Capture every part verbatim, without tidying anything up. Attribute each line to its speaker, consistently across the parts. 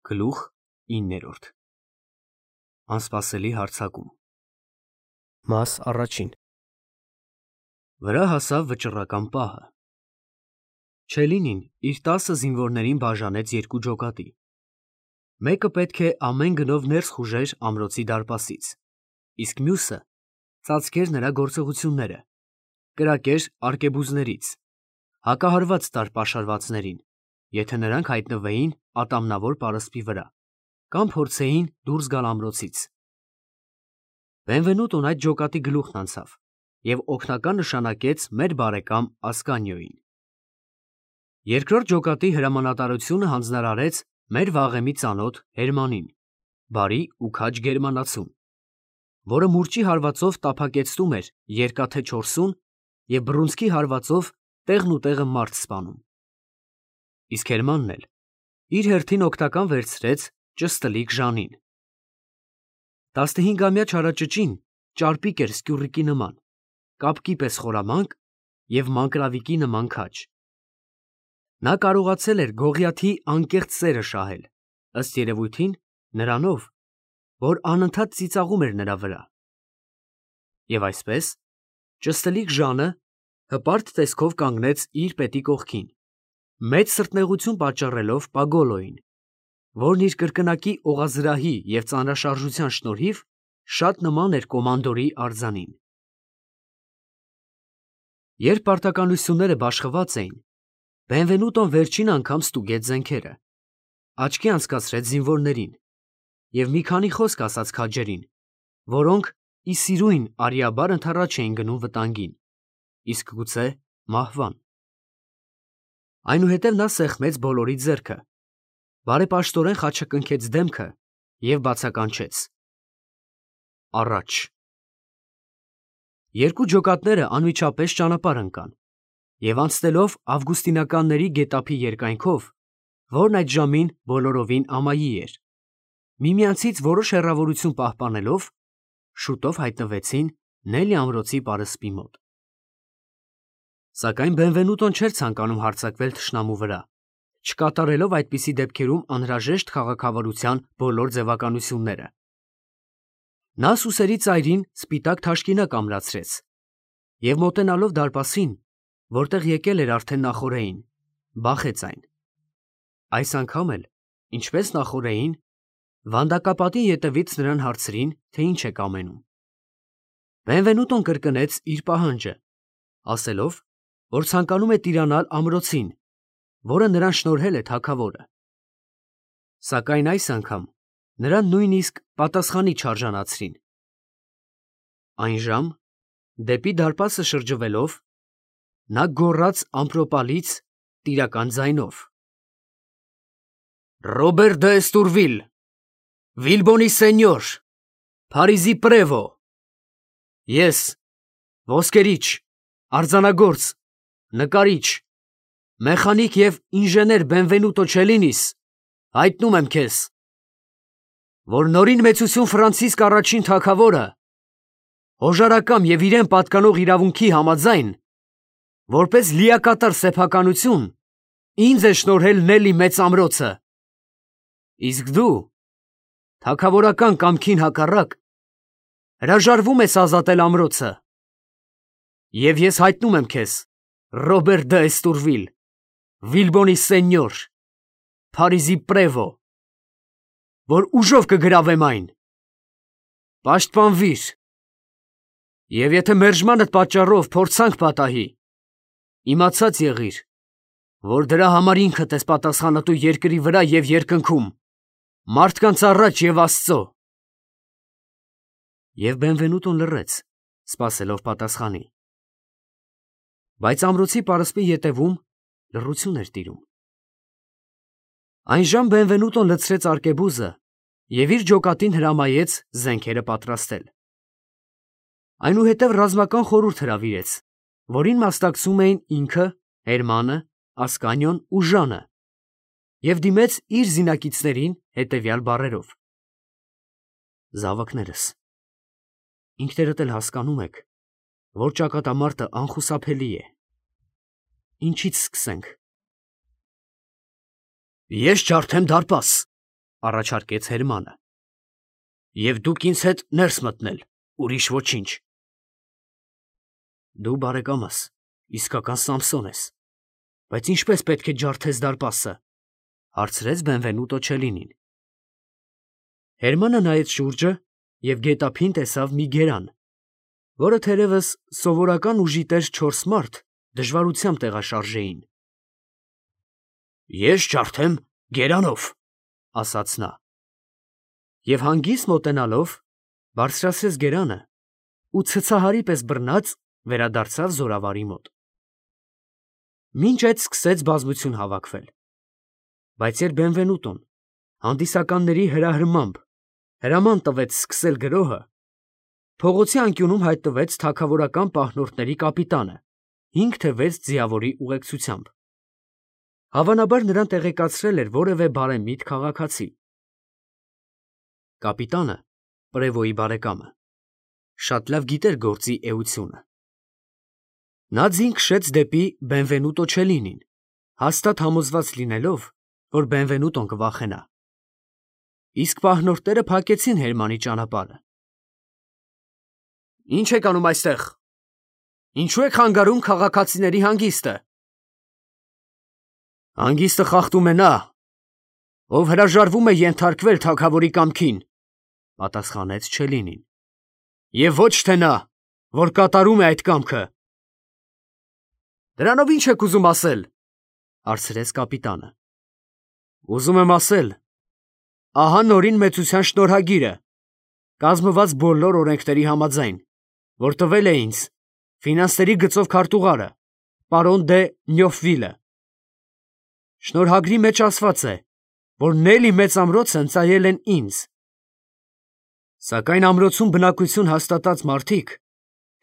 Speaker 1: Գլուխ իններորդ Անսպասելի հարձակում Մաս առաջին Վրա հասավ վճռական պահը։ Չելինին իր տասը զինվորներին բաժանեց երկու ջոկատի։ Մեկը պետք է ամեն գնով ներս խուժեր ամրոցի դարպասից, իսկ մյուսը ծածկեր նրա գործողությունները, կրակեր արկեբուզներից, հակահարված տար պաշարվածներին, եթե նրանք հայտնվեին ատամնավոր պարսպի վրա, կամ փորձեին դուրս գալ ամրոցից։ Բենվենուտոն այդ ջոկատի գլուխն անցավ և օգնական նշանակեց մեր բարեկամ Ասկանիոյին։ Երկրորդ ջոկատի հրամանատարությունը հանձնարարեց մեր վաղեմի ծանոթ Հերմանին, բարի ու քաջ գերմանացուն, որը մուրճի հարվածով տափակեցնում էր երկաթե չորսուն և բռունցքի հարվածով տեղն ու տեղը մարդ սպանում։ Իսկ Հերմանն էլ իր հերթին օգնական վերցրեց ճստլիկ Ժանին։ Տասնհինգամյա չարաճճին ճարպիկ էր սկյուռիկի նման, կապկի պես խորամանկ և մանկրավիկի նման քաջ։ Նա կարողացել էր Գողիաթի անկեղծ սերը շահել, ըստ երևույթին, նրանով, որ անընդհատ ծիծաղում էր նրա վրա։ Եվ այսպես, ճստլիկ Ժանը հպարտ տեսքով կանգնեց իր պետի կողքին, մեծ սրտնեղություն պատճառելով Պագոլոյին, որն իր կրկնակի օղազրահի և ծանրաշարժության շնորհիվ շատ նման էր կոմանդորի արձանին։ Երբ պարտականությունները բաշխված էին, Բենվենուտոն վերջին անգամ ստուգեց զենքերը, աչքի անցկացրեց զինվորներին և մի քանի խոսք ասաց քաջերին, որոնք ի սիրույն արիաբար ընդառաջ էին գնում վտանգին, իսկ գուցե մահվան։ Այնուհետև նա սեղմեց բոլորի ձեռքը, բարեպաշտորեն խաչակնքեց դեմքը և բացականչեց. «Առաջ»։ Երկու ջոկատները անմիջապես ճանապարհ ընկան և անցնելով ավգուստինականների գետափի երկայնքով, որն այդ ժամին բոլորովին ամայի էր, միմյանցից որոշ հեռավորություն պահպանելով, շուտով հայտնվեցին Նելի ամրոցի պարսպի մոտ։ Սակայն Բենվենուտոն չէր ցանկանում հարձակվել թշնամու վրա, չկատարելով այդպիսի դեպքերում անհրաժեշտ քաղաքավարության բոլոր ձևականությունները։ Նա սուսերի ծայրին սպիտակ թաշկինակ ամրացրեց և մոտենալով դարպասին, որտեղ եկել էր արդեն նախօրեին, բախեց այն։ Այս անգամ էլ, ինչպես նախօրեին, վանդակապատի ետևից նրան հարցրին, թե ինչ է կամենում։ Բենվենուտոն կրկնեց իր պահանջը, ասելով, որ ցանկանում է տիրանալ ամրոցին, որը նրան շնորհել է թագավորը։ Սակայն այս անգամ նրան նույնիսկ պատասխանի չարժանացրին։ Այն ժամ, դեպի դարպասը շրջվելով, նա գոռաց ամպրոպալից տիրական ձայնով. «Ռոբեր դը Էստուրվիլ, Վիլբոնի սենյոր, Փարիզի պրևո, ես, ոսկերիչ, արձանագործ, նկարիչ, մեխանիկ և ինժեներ Բենվենուտո Չելինիս, հայտնում եմ քեզ, որ նորին մեծություն Ֆրանցիսկ առաջին թագավորը, հոժարակամ և իրեն պատկանող իրավունքի համաձայն, որպես լիակատար սեփականություն, ինձ է շնորհել Նելի մեծ ամրոցը, իսկ դու, թագավորական կամքին հակառակ, հրաժարվում ես ազատել ամրոցը, և ես հայտնում եմ քեզ, Ռոբեր դը Էստուրվիլ, Վիլբոնի սենյոր, Փարիզի պրևո, որ ուժով կգրավեմ այն։ Պաշտպանվիր, և եթե մերժմանդ պատճառով փորձանք պատահի, իմացած եղիր, որ դրա համար ինքդ ես պատասխանատու երկրի վրա և երկնքում, մարդկանց առաջ և Աստծո։ Եվ Բենվենուտոն լռեց, սպասելով պատասխանի։ Բայց ամրոցի պարսպի ետևում լռություն էր տիրում։ Այն ժամ Բենվենուտոն լցրեց արկեբուզը և իր ջոկատին հրամայեց զենքերը պատրաստել։ Այնուհետև ռազմական խորհուրդ հրավիրեց, որին մասնակցում էին ինքը, Հերմանը, Ասկանիոն ու Ժանը, և դիմեց իր զինակիցներին հետևյալ բառերով. «Զավակներս, ինքներդ էլ հասկանում եք, որ ճակատամարտը անխուսափելի է։ Ինչից սկսենք»։ «Ես ջարդեմ դարպաս», առաջարկեց Հերմանը։ Եվ դուք ինձ հետ ներս մտնել, ուրիշ ոչինչ։ Դու բարեկամս, իսկական Սամսոն ես, բայց ինչպես պետք է ջարդես դարպասը, հարցրեց Բենվենուտո Չելինին։ Հերմանը նայեց շուրջը և գետափին տեսավ մի գերան, որը թերևս սովորական ուժի տեր չորս մարդ դժվարությամբ տեղաշարժեին։ Ես ջարդեմ գերանով, ասաց նա, և հանգիստ մոտենալով բարձրացրեց գերանը ու ցցահարի պես բռնած վերադարձավ զորավարի մոտ։ Մինչ այդ սկսեց բազմություն հավաքվել, բայց երբ Բենվենուտոն հանդիսականների հրահրմամբ հրաման տվեց սկսել գրոհը, փողոցի անկյունում հայտնվեց թագավորական պահնորդների կապիտանը հինգ թե վեց ձիավորի ուղեկցությամբ։ Հավանաբար նրան տեղեկացրել էր որևէ բարեմիտ քաղաքացի։ Կապիտանը, Պրևոյի բարեկամը, շատ լավ գիտեր գործի էությունը։ Նա ձին քշեց դեպի Բենվենուտո Չելինին, հաստատ համոզված լինելով, որ Բենվենուտոն կվախենա։ Իսկ պահնորդները փակեցին Հերմանի ճանապարհը։ Ի՞նչ եք անում այստեղ։ Ինչու եք խանգարում քաղաքացիների հանգիստը։ Հանգիստը խախտում է նա, ով հրաժարվում է ենթարկվել թագավորի կամքին, պատասխանեց Չելինին, և ոչ թե նա, որ կատարում է այդ կամքը։ Դրանով ի՞նչ եք ուզում ասել, հարցրեց կապիտանը։ Ուզում եմ ասել, ահա նորին մեծության շնորհագիրը, կազմված բոլոր օրենքների համաձայն, որ տվել է ինձ ֆինանսների գծով քարտուղարը, պարոն դե Նյոֆվիլը։ Շնորհագրի մեջ ասված է, որ Նելի մեծ ամրոցը ընծայել են ինձ։ Սակայն ամրոցում բնակություն հաստատած մարդիկ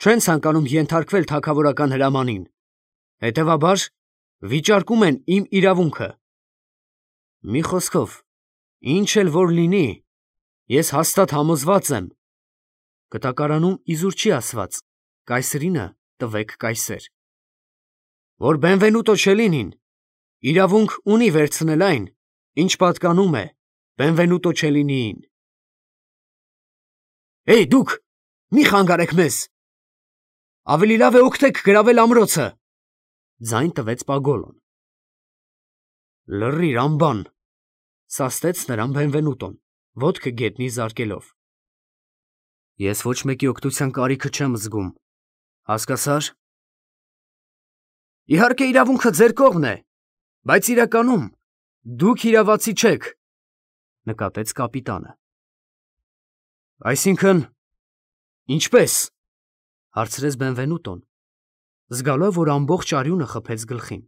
Speaker 1: չեն ցանկանում ենթարկվել թագավորական հրամանին, հետևաբար վիճարկում են իմ իրավունքը։ Մի խոսքով, ինչ էլ որ լինի, ես հաստատ համոզված եմ, կտակարանում իզուր չի ասված, կայսրինը տվեք կայսեր, որ Բենվենուտո Չելինին իրավունք ունի վերցնել այն, ինչ պատկանում է Բենվենուտո Չելինիին։ Հեյ դուք, մի խանգարեք մեզ։ Ավելի լավ է օգնեք գրավել ամրոցը, ձայն տվեց Պագոլոն։ Լռիր ամբան, սաստեց նրան Բենվենուտոն, ոտքը գետնի զարկելով։ Ես ոչ մեկի օգնության կարիքը չեմ զգում, հասկացա՞ր։ Իհարկե իրավունքը ձեր կողմն է, բայց իրականում դուք իրավացի չեք, նկատեց կապիտանը։ Այսինքն, ինչպե՞ս, հարցրեց Բենվենուտոն, զգալով, որ ամբողջ արյունը խփեց գլխին։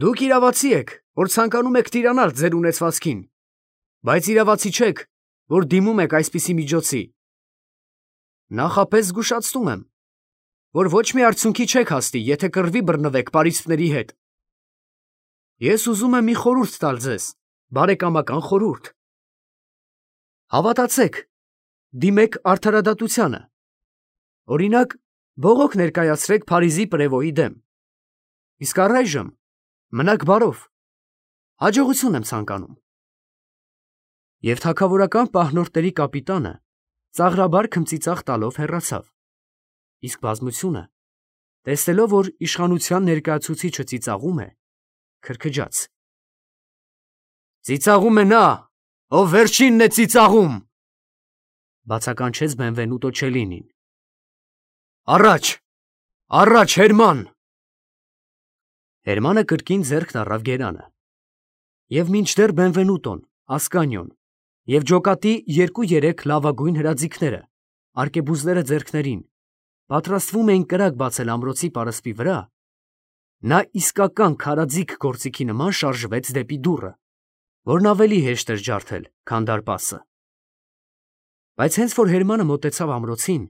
Speaker 1: Դուք իրավացի եք, որ ցանկանում եք տիրանալ ձեր ունեցվածքին, բայց իրավացի չեք, որ դիմում եք այսպիսի միջոցի։ Նախապես զգուշացնում եմ, որ ոչ մի արդյունքի չեք հասնի, եթե կռվի բռնվեք պարիսպների հետ։ Ես ուզում եմ մի խորհուրդ տալ ձեզ, բարեկամական խորհուրդ։ Հավատացեք, դիմեք արդարադատությանը։ Օրինակ, բողոք ներկայացրեք Փարիզի Պրևոյի դեմ։ Իսկ առայժմ մնաք բարով, հաջողություն եմ ցանկանում։ Եվ թագավորական պահնորդների կապիտանը ծաղրաբար քմծիծաղ տալով հեռացավ, իսկ բազմությունը, տեսնելով, որ իշխանության ներկայացուցիչը ծիծաղում է, քրքջաց։ Ծիծաղում է նա, ով վերջինն է ծիծաղում, բացականչեց Բենվենուտո Չելինին։ Առաջ, առաջ Հերման։ Հերմանը կրկին ձեռքն առավ գերանը, և մինչդեռ Բենվենուտոն, Ասկանիոն և ջոկատի երկու-երեք լավագույն հրաձիգները, արկեբուզները ձեռքներին, պատրաստվում էին կրակ բացել ամրոցի պարսպի վրա, նա իսկական քարաձիգ գործիքի նման շարժվեց դեպի դուռը, որն ավելի հեշտ էր ջարդել, քան դարպասը։ Բայց հենց որ Հերմանը մոտեցավ ամրոցին,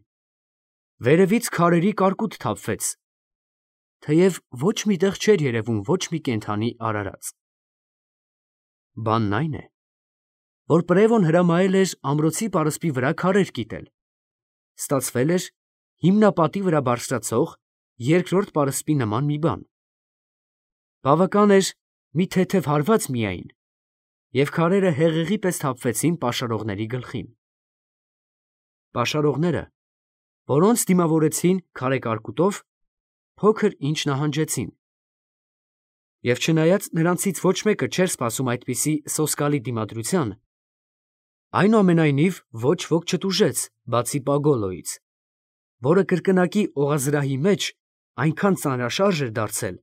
Speaker 1: վերևից քարերի կարկուտ թափվեց, թեև ոչ մի տեղ չէր երևում ոչ մի կենդանի արարած։ Բանն այն է, որ Պրևոն հրամայել էր ամրոցի պարսպի վրա քարեր կիտել, ստացվել էր հիմնապատի վրա բարձրացող երկրորդ պարսպի նման մի բան։ Բավական էր մի թեթև հարված միայն, և քարերը հեղեղի պես թափվեցին պաշարողների գլխին։ Պաշարողները, որոնց դիմավորեցին քարեկարկուտով, փոքր ինչ նահանջեցին։ Եվ չնայած նրանցից ոչ մեկը չէր սպասում այդպիսի սոսկալի դիմադրության, այնուամենայնիվ ոչ ոք չտուժեց, բացի Պագոլոյից, որը կրկնակի օղազրահի մեջ այնքան ծանրաշարժ էր դարձել,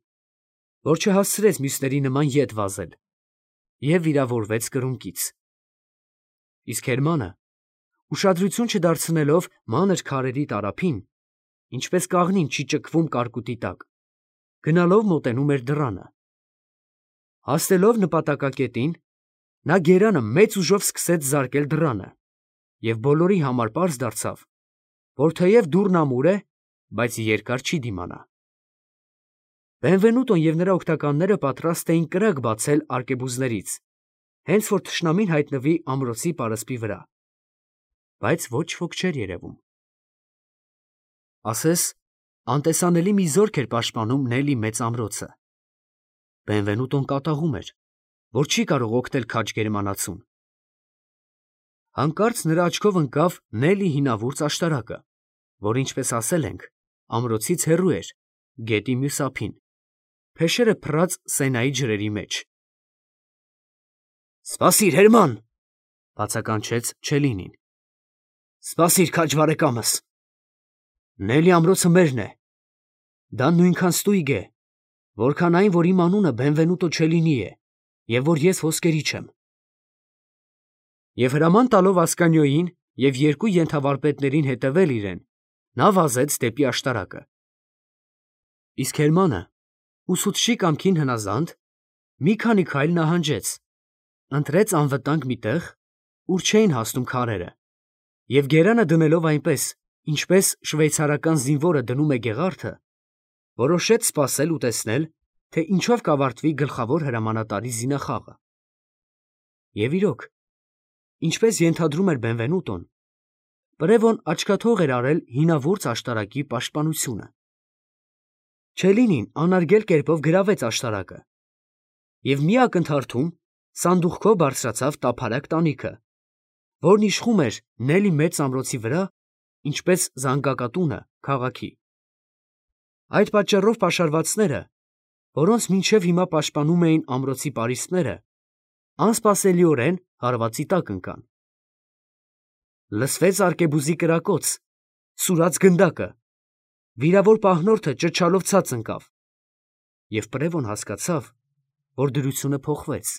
Speaker 1: որ չհասցրեց մյուսների նման ետ վազել և վիրավորվեց կրունկից։ Իսկ Հերմանը, ուշադրություն չդարձնելով մանր քարերի տարափին, ինչպես կաղնին չի ճկվում կարկուտի տակ, գնալով մոտենում էր դռանը։ Հասնելով նպատակակետին, նա գերանը մեծ ուժով սկսեց զարկել դռանը, և բոլորի համար պարզ դարձավ, որ թեև դուռն ամուր է, բայց երկար չի դիմանա։ Բենվենուտոն և նրա օգնականները պատրաստ էին կրակ բացել արկեբուզներից, հենց որ թշնամին հայտնվի ամրոցի պարսպի վրա, բայց ոչ ոք չէր երևում։ Ասես անտեսանելի մի զորք էր պաշտպանում Նելի մեծ ամրոցը։ Բենվենուտոն կատաղում էր, որ չի կարող օգնել քաջ գերմանացուն։ Հանկարծ նրա աչքով ընկավ Նելի հինավուրց աշտարակը, որ, ինչպես ասել ենք, ամրոցից հեռու էր, գետի մյուս ափին, փեշերը փռած Սենայի ջրերի մեջ։ «Սպասիր, Հերման», բացականչեց Չելինին։ «Սպասիր, քաջ բարեկամս։ Նելի ամրոցը մերն է։ Դա նույնքան ստույգ է, որքան այն, որ իմ անունը Բենվենուտո Չելինի է, և որ ես ոսկերիչ եմ»։ Եվ հրաման տալով Ասկանիոյին և երկու ենթավարպետներին հետևել իրեն, նա վազեց դեպի աշտարակը։ Իսկ Հերմանը, ուսուցչի կամքին հնազանդ, մի քանի քայլ նահանջեց, ընտրեց անվտանգ մի տեղ, ուր չէին հասնում քարերը, և գերանը դնելով այնպես, ինչպես շվեյցարական զինվորը դնում է գեղարդը, որոշեց սպասել ու տեսնել, թե ինչով կավարտվի գլխավոր հրամանատարի զինախաղը։ Եվ իրոք, ինչպես ենթադրում էր Բենվենուտոն, Պրևոն աչքաթող էր արել հինավուրց աշտարակի պաշտպանությունը։ Չելինին անարգել կերպով գրավեց աշտարակը և մի ակնթարթում սանդուղքով բարձրացավ տափարակ տանիքը, որն իշխում էր Նելի մեծ ամրոցի վրա, ինչպես զանգակատունը քաղաքի։ Այդ պատճառով պաշարվածները, որոնց մինչև հիմա պաշտպանում էին ամրոցի պարիսպները, անսպասելիորեն հարվածի տակ ընկան։ Լսվեց արկեբուզի կրակոց, սուրաց գնդակը, վիրավոր պահնորդը ճչալով ցած ընկավ, և Պրևոն հասկացավ, որ դրությունը փոխվեց։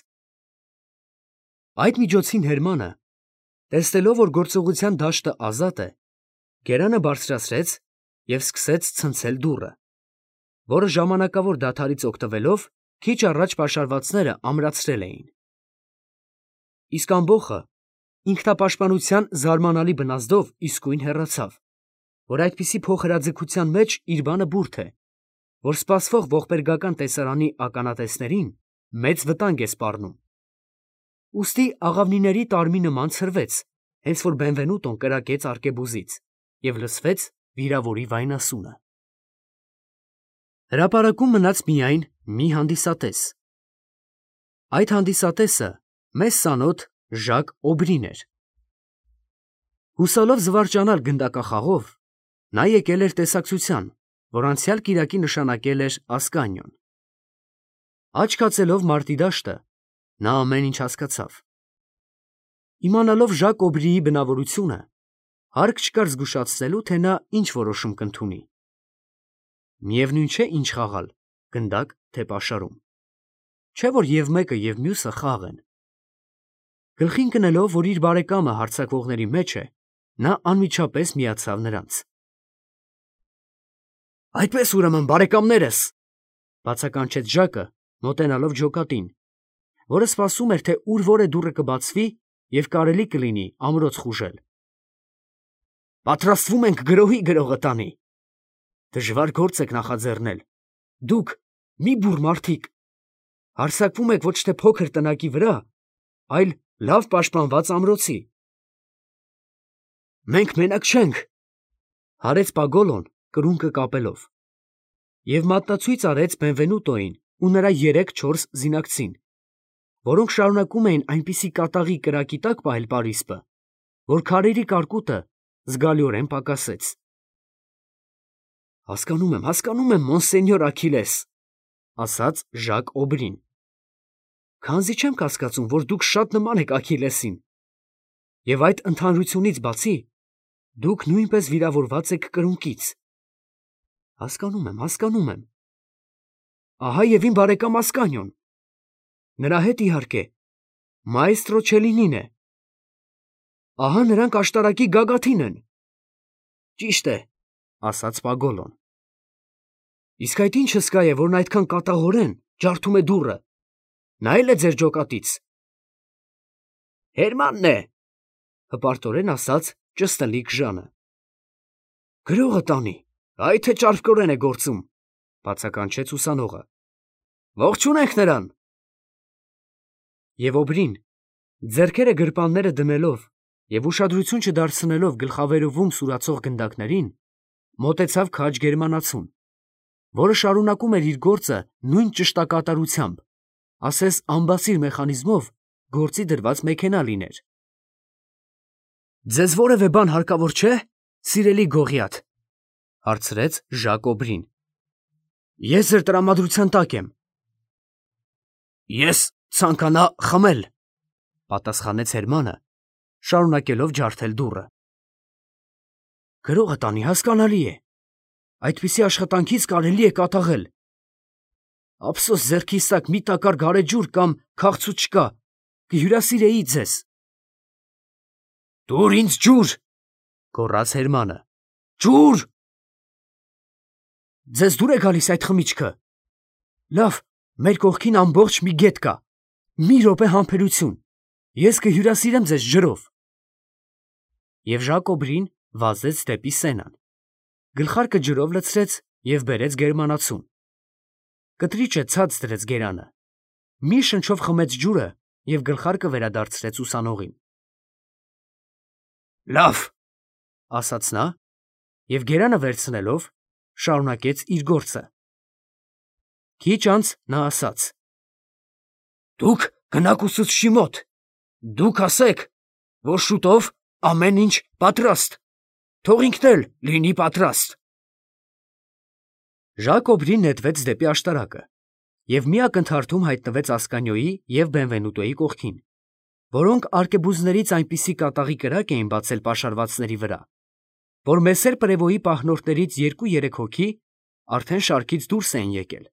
Speaker 1: Այդ միջոցին Հերմանը, տեսնելով, որ գործողության դաշտը ազատ է, գերանը բարձրացրեց և սկսեց ցնցել դուռը, որը ժամանակավոր դադարից օգտվելով քիչ առաջ պաշարվածները ամրացրել էին։ Իսկ ամբոխը ինքնապաշտպանության զարմանալի բնազդով իսկույն հեռացավ, որ այդպիսի փոխհրաձգության մեջ իր բանը բուրդ է, որ սպասվող ողբերգական տեսարանի ականատեսներին մեծ վտանգ է սպառնում։ Ուստի աղավնիների տարմի նման ցրվեց, հենց որ Բենվենուտոն կրակեց արկեբուզից, և լսվեց վիրավորի վայնասունը։ Հրապարակում մնաց միայն մի հանդիսատես։ Այդ հանդիսատեսը մեզ ծանոթ Ժակ Օբրին էր։ Հուսալով զվարճանալ գնդակախաղով, նա եկել էր տեսակցության, որ անցյալ կիրակի նշանակել էր Ասկանիոն։ Աչք հացելով մարտի դաշտը, նա ամեն ինչ հասկացավ։ Իմանալով Ժակ Օբրիի բնավորությունը, հարկ չկար զգուշացնելու, թե նա ինչ որոշում կընդունի։ Միևնույն չէ, ինչ խաղալ, գնդակ, թե պաշարում։ Չէ՞ որ և մեկը, և մյուսը խաղ են։ Գլխին կնելով, որ իր բարեկամը հարձակվողների մեջ է, նա անմիջապես միացավ նրանց։ «Այդպես ուրեմն, բարեկամներս», բացականչեց Ժակը, մոտենալով ջոկատին, որը սպասում էր, թե ուր որե դուռը կբացվի և կարելի կլինի ամրոց խուժել։ «Պատրաստվում ենք գրոհի գրողը տանի։ Դժվար գործ եք նախաձեռնել, դուք, մի բուռ մարդիկ, հարձակվում եք ոչ թե փոքր տնակի վրա, այլ լավ պաշտպանված ամրոցի»։ «Մենք մենակ չենք», հարեց Պագոլոն կրունկը կապելով, և մատնացույց արեց Բենվենուտոյին ու նրա երեք֊չորս զինակցին, որոնք շարունակում էին այնպիսի կատաղի կրակի տակ պահել պարիսպը, որ քարերի կարկուտը զգալիորեն պակասեց։ «Հասկանում եմ, հասկանում եմ, մոնսենյոր Աքիլես», ասաց Ժակ Օբրին։ «Քանզի չեմ կասկածում, որ դուք շատ նման եք Աքիլեսին, և այդ ընդհանրությունից բացի, դուք նույնպես վիրավորված եք կրունկից»։ «Հասկանում եմ, հասկանում եմ»։ «Ահա և իմ բարեկամ Ասկանիոն, նրա հետ, իհարկե, մայստրո Չելինին է։ Ահա նրանք աշտարակի գագաթին են»։ «Ճիշտ է», ասաց Պագոլոն։ «Իսկ այդ ի՞նչ հսկա է, որն այդքան կատաղորեն ջարդում է դուռը, նա է՞լ է ձեր ջոկատից»։ «Հերմանն է», հպարտորեն ասաց ճստլիկ Ժանը։ «Գրողը տանի, այ թե ճարպկորեն է գործում», բացականչեց ուսանողը։ «Ողջունենք նրան»։ Եվ Օբրին, ձեռքերը գրպանները դնելով և ուշադրություն չդարձնելով գլխավերևում սուրացող գնդակներին, մոտեցավ քաջ գերմանացուն, որը շարունակում էր իր գործը նույն ճշտակատարությամբ, ասես անբասիր մեխանիզմով գործի դրված մեքենա լիներ։ «Ձեզ որևէ բան հարկավոր չէ, սիրելի Գողիաթ», հարցրեց Ժակ Օբրին։ «Ես ձեր տրամադրության տակ եմ»։ «Ես ցանկանա խմել», պատասխանեց Հերմանը, շարունակելով ջարդել դուռը։ «Գրողը տանի, հասկանալի է, այդպիսի աշխատանքից կարելի է կատաղել։ Ափսոս ձեռքիս տակ մի տակառ գարեջուր կամ քաղցուց չկա, կհյուրասիրեի ձեզ»։ «Տուր ինձ ջուր», գոռաց Հերմանը։ «Ջուր»։ «Ձեզ դուր է գալիս այդ խմիչքը։ Լավ, մեր կողքին ամբողջ մի գետ կա, մի րոպե համբերություն, ես կհյուրասիրեմ ձեզ ջրով»։ Եվ Ժակ Օբրին վազեց դեպի սենան, գլխարկը ջրով լցրեց և բերեց գերմանացուն։ Կտրիճը ցած դրեց գերանը, մի շնչով խմեց ջուրը և գլխարկը վերադարձրեց ուսանողին։ «Լավ», ասաց նա և գերանը վերցնելով շարունակեց իր գործը։ Քիչ անց նա ասաց. «Դուք գնաք ուսուցչի մոտ, դուք ասեք, որ շուտով ամեն ինչ պատրաստ, թող ինքն էլ լինի պատրաստ»։ Ժակ Օբրին նետվեց դեպի աշտարակը և մի ակնթարթում հայտնվեց Ասկանիոյի և Բենվենուտոյի կողքին, որոնք արկեբուզներից այնպիսի կատաղի կրակ էին բացել պաշարվածների վրա, որ Մեսեր Պրևոյի պահնորդներից երկու երեք հոգի արդեն շարքից դուրս էին եկել։